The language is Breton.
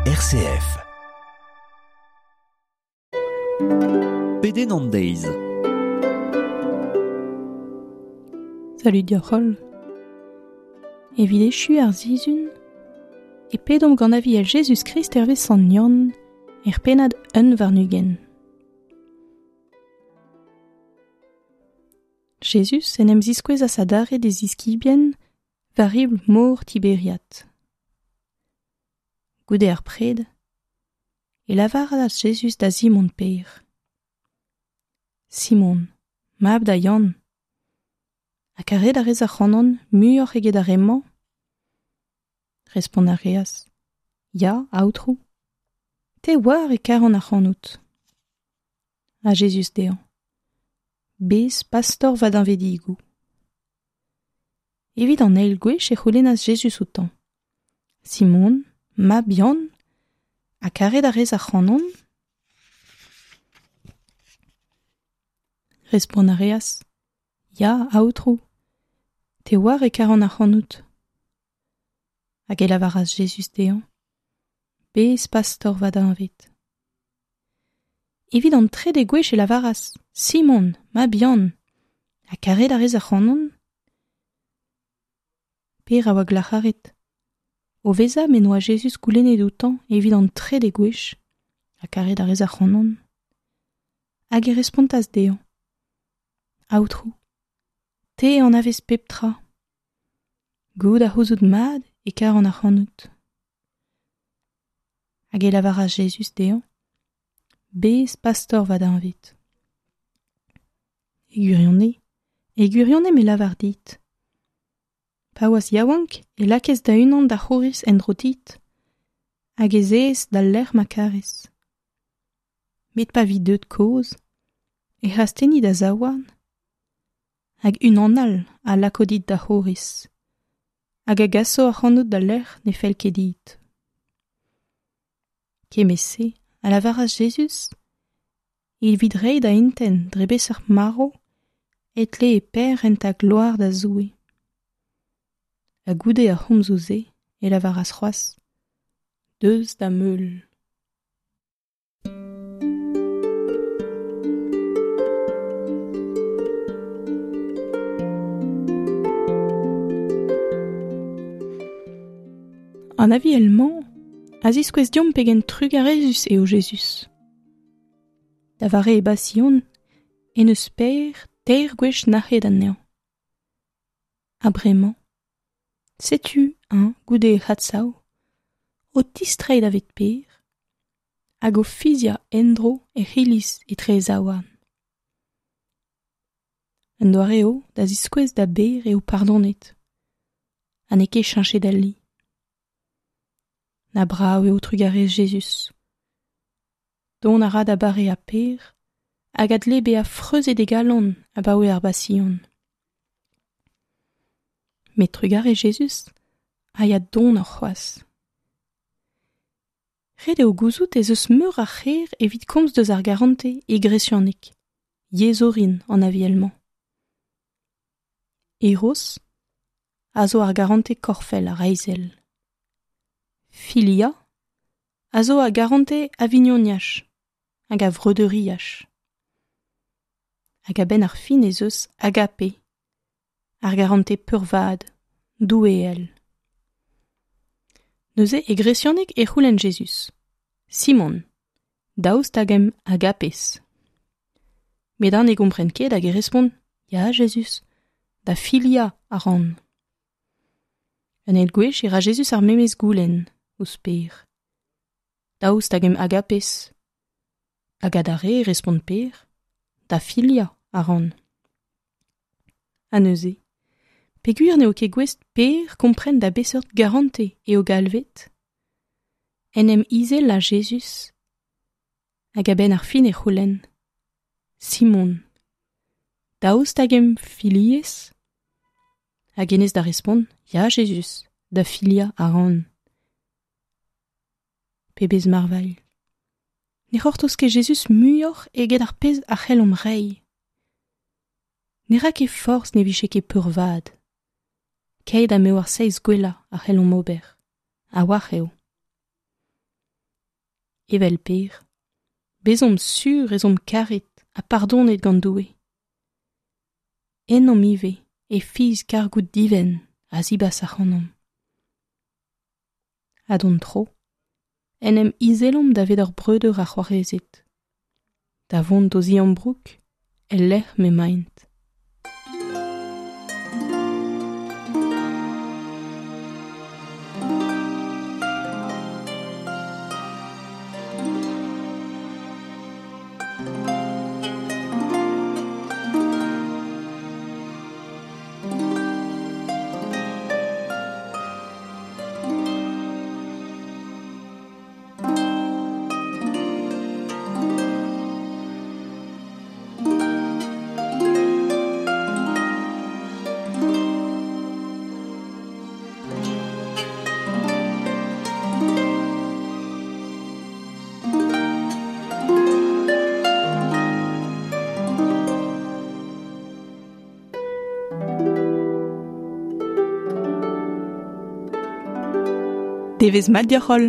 RCF. Pedenn an deiz. Salud deoc'h holl. Evit echu ar sizhun, e pedomp gant aviel Jezuz-Krist hervez Sant Yann er pennad 21. Jezuz en em ziskouezas adarre d'e ziskibien war ribl mor Tiberiat. Goude ar pred, e lavaras Jezuz da Simon Pêr. Simon, mab da Yann, ha karet a rez ac'hanon muioc'h eget ar re-mañ? Respont a reas, Ya, Aotrou, te oar e karan ac'hanout. Ha Jezuz dezhañ, Bez pastor va deñvedigoù. Evit an eil gwech e c'houlennas Jezuz outañ, Simon, mab Yann, ha karet a rez ac'hanon? Respont a reas, Ya, Aotrou, te oar e karan ac'hanout. Hag e lavaras Jezuz dezhañ, Bez pastor va deñved. Evit an trede gwech e lavaras, Simon, mab Yann, ha karet a rez ac'hanon? Pêr a oa glac'haret. O vezañ m'en doa Jezuz goulennet outañ evit an trede gwech, ha karet a rez ac'hanon? Hag e respontas dezhañ, Aotrou, te anavez pep tra. Goût a c'houzout mat e karan ac'hanout. Hag e lavaras Jezuz dezhañ, Bez pastor va deñved. E gwirionez, e gwirionez me lavar dit. Pa oas yaouank e lakaes da-unan da c'houriz en-dro dit, hag ez ez d'al lec'h ma karez. Met pa vi deuet kozh, ec'h astenni da zaouarn, hag unan all a lako dit da c'houriz, hag a gaso ac'hanout d'al lec'h ne fell ket dit. Kement-se a lavaras Jezuz evit reiñ da intent dre beseurt marv e tlee Pêr rentañ gloar da Zoue. Ha goude ar c'homzoù-se e lavaras c'hoazh, Deus da'm heul. An aviel-mañ a ziskouez deomp pegen trugarezus eo Jezuz. Da vare e basion en deus Pêr teir gwech nac'het anezhañ. Ha bremañ, setu eñ goude e c'hadsav, o tistreiñ davet Pêr hag o fiziañ en-dro e c'hiliz etre e zaouarn. Un doare eo da ziskouez da Bêr eo pardonet ha n'eo ket cheñchet ali. Na brav eo trugarez Jezuz. Dont a ra da bareañ Pêr hag a dle bezañ freuzet e galon abaoe ar Basion. Met trugarez Jezuz a ya donoc'h c'hoazh. Ret eo gouzout ez eus meur a c'her evit komz deus ar garantez e gresianeg, yezh orin an aviel-mañ. Eros a zo ar garantez korfel ha reizhel. Filia a zo ar garantez a vignoniaj hag a vreudeuriaj. Hag a-benn ar fin ez eus agape, ar garantez peurvad, doueel. Neuze e gresianeg e c'houlenn Jezuz, Simon, daoust hag em agapez? Met eñ ne gompren ket hag e respont, Ya, Jezuz, da filia a ran. Un eil gwech e ra Jezuz ar memes goulenn ouzh Pêr. Daoust hag em agapez? Hag adarre e respont Pêr, Da filia a ran. Ha neuze, peogwir n'eo ket gouest Pêr kompren da beseurt garantez eo galvet, en em izela Jezuz hag a-benn ar fin e c'houlenn, Simon, daoust hag em filiez? Hag hennezh da respont, Ya, Jezuz, da filiañ a ran. Pebezh marvailh! Ne c'hortoz ket Jezuz muioc'h eget ar pezh a c'hellomp reiñ. Ne ra ket forzh ne vije ket peurvat. Keit ha m'eo ar seizh gwellañ a c'hellomp ober, a-walc'h eo. Evel Per, bezomp sur ez omp karet ha pardonet gant Doue. Ennomp ivez e fiz kargoù divent a zibas ac'hanomp. Ha d'hon tro, en em izelomp davet hor breudeur ha c'hoarezed, da vont d'o ziambroug el lec'h m'emaint. Devezh mat deoc'h-holl.